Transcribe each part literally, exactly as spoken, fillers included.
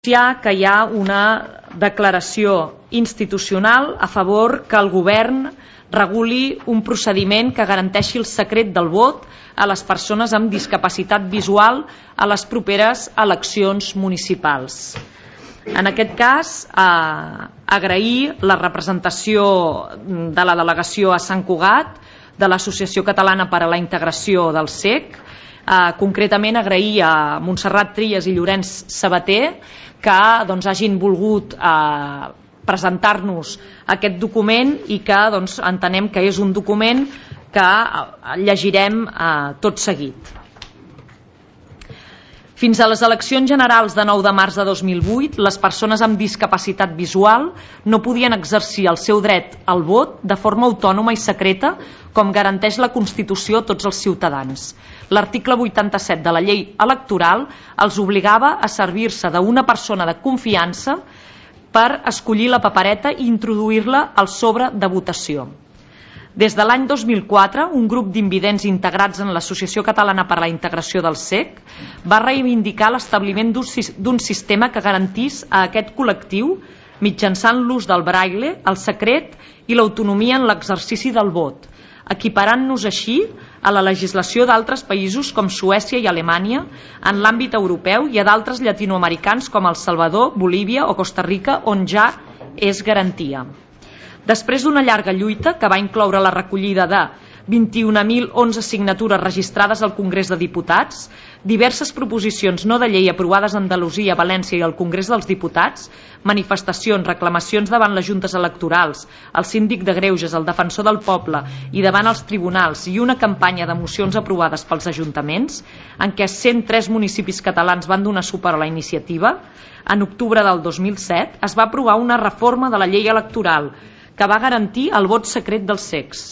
que hi ha una declaració institucional a favor que el govern reguli un procediment que garanteixi el secret del vot a les persones amb discapacitat visual a les properes eleccions municipals. En aquest cas, eh, agrair la representació de la delegació a Sant Cugat, de l'Associació Catalana per a la Integració del C E C, eh, concretament agrair a Montserrat Trias i Llorenç Sabater que doncs, hagin volgut eh, presentar-nos aquest document i que doncs, entenem que és un document que llegirem eh, tot seguit. Fins a les eleccions generals de nou de març de dos mil vuit, les persones amb discapacitat visual no podien exercir el seu dret al vot de forma autònoma i secreta, com garanteix la Constitució a tots els ciutadans. L'article vuitanta-set de la llei electoral els obligava a servir-se d'una persona de confiança per escollir la papereta i introduir-la al sobre de votació. Des de l'any dos mil quatre, un grup d'invidents integrats en l'Associació Catalana per a la Integració del C E C va reivindicar l'establiment d'un sistema que garantís a aquest col·lectiu, mitjançant l'ús del braille, el secret i l'autonomia en l'exercici del vot, equiparant-nos així a la legislació d'altres països com Suècia i Alemanya en l'àmbit europeu i a d'altres llatinoamericans com El Salvador, Bolívia o Costa Rica, on ja és garantia. Després d'una llarga lluita que va incloure la recollida de vint-i-un mil onze signatures registrades al Congrés de Diputats, diverses proposicions no de llei aprovades a Andalusia, València i al Congrés dels Diputats, manifestacions, reclamacions davant les juntes electorals, el síndic de Greuges, el defensor del poble i davant els tribunals i una campanya de mocions aprovades pels ajuntaments, en què cent tres municipis catalans van donar suport a la iniciativa, en octubre del dos mil set es va aprovar una reforma de la llei electoral que va garantir el vot secret dels C E Cs.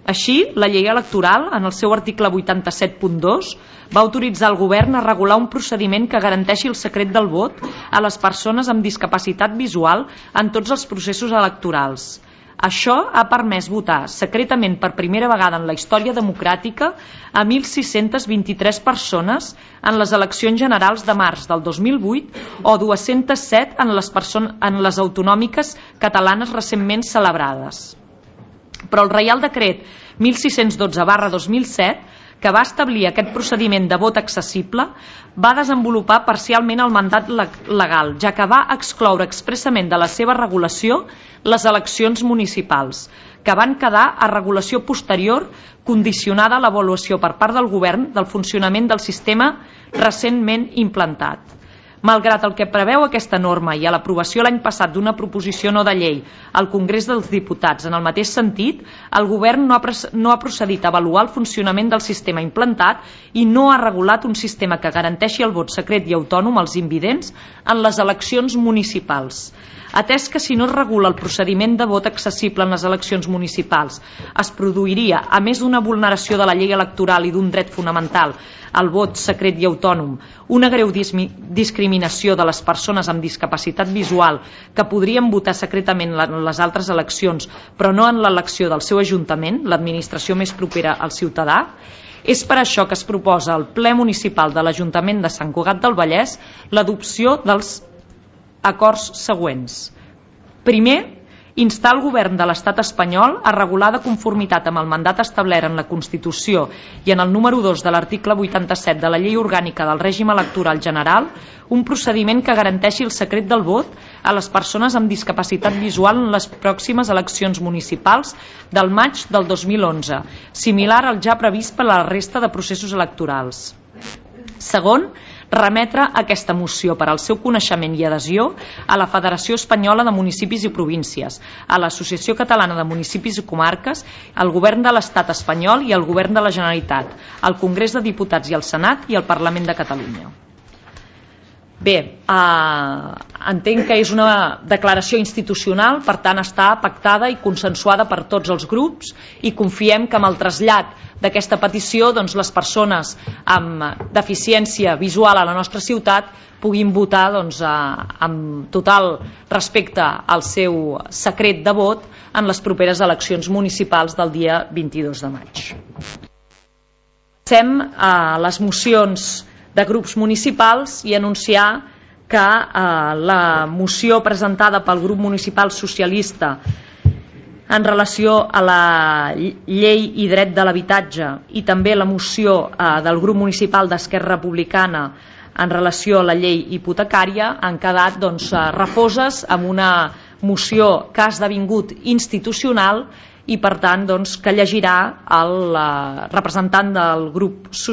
Així, la llei electoral, en el seu article vuitanta-set punt dos, va autoritzar el govern a regular un procediment que garanteixi el secret del vot a les persones amb discapacitat visual en tots els processos electorals. Això ha permès votar secretament per primera vegada en la història democràtica a mil sis-centes vint-i-tres persones en les eleccions generals de març del dos mil vuit o dues-centes set en les, en les autonòmiques catalanes recentment celebrades. Però el Reial Decret mil sis-cents dotze barra dos mil set, que va establir aquest procediment de vot accessible, va desenvolupar parcialment el mandat legal, ja que va excloure expressament de la seva regulació les eleccions municipals, que van quedar a regulació posterior condicionada a l'avaluació per part del govern del funcionament del sistema recentment implantat. Malgrat el que preveu aquesta norma i a l'aprovació l'any passat d'una proposició no de llei al Congrés dels Diputats en el mateix sentit, el govern no ha, no ha procedit a avaluar el funcionament del sistema implantat i no ha regulat un sistema que garanteixi el vot secret i autònom als invidents en les eleccions municipals. Atès que si no es regula el procediment de vot accessible en les eleccions municipals es produiria, a més d'una vulneració de la llei electoral i d'un dret fonamental, el vot secret i autònom, una greu discriminació de les persones amb discapacitat visual que podrien votar secretament en les altres eleccions però no en l'elecció del seu ajuntament, l'administració més propera al ciutadà, és per això que es proposa al ple municipal de l'Ajuntament de Sant Cugat del Vallès l'adopció dels acords següents. Primer, instar el govern de l'Estat espanyol a regular de conformitat amb el mandat establert en la Constitució i en el número dos de l'article vuitanta-set de la Llei Orgànica del Règim Electoral General un procediment que garanteixi el secret del vot a les persones amb discapacitat visual en les pròximes eleccions municipals del maig del dos mil onze, similar al ja previst per a la resta de processos electorals. Segon, remetre aquesta moció per al seu coneixement i adhesió a la Federació Espanyola de Municipis i Províncies, a l'Associació Catalana de Municipis i Comarques, al Govern de l'Estat espanyol i al Govern de la Generalitat, al Congrés de Diputats i al Senat i al Parlament de Catalunya. Bé, eh, entenc que és una declaració institucional, per tant està pactada i consensuada per tots els grups i confiem que amb el trasllat d'aquesta petició doncs, les persones amb deficiència visual a la nostra ciutat puguin votar doncs, amb total respecte al seu secret de vot en les properes eleccions municipals del dia vint-i-dos de maig. Passem a les mocions de grups municipals i anunciar que eh, la moció presentada pel grup municipal socialista en relació a la llei i dret de l'habitatge i també la moció eh, del grup municipal d'Esquerra Republicana en relació a la llei hipotecària han quedat doncs, refoses amb una moció que ha esdevingut institucional i per tant doncs, que llegirà el eh, representant del grup socialista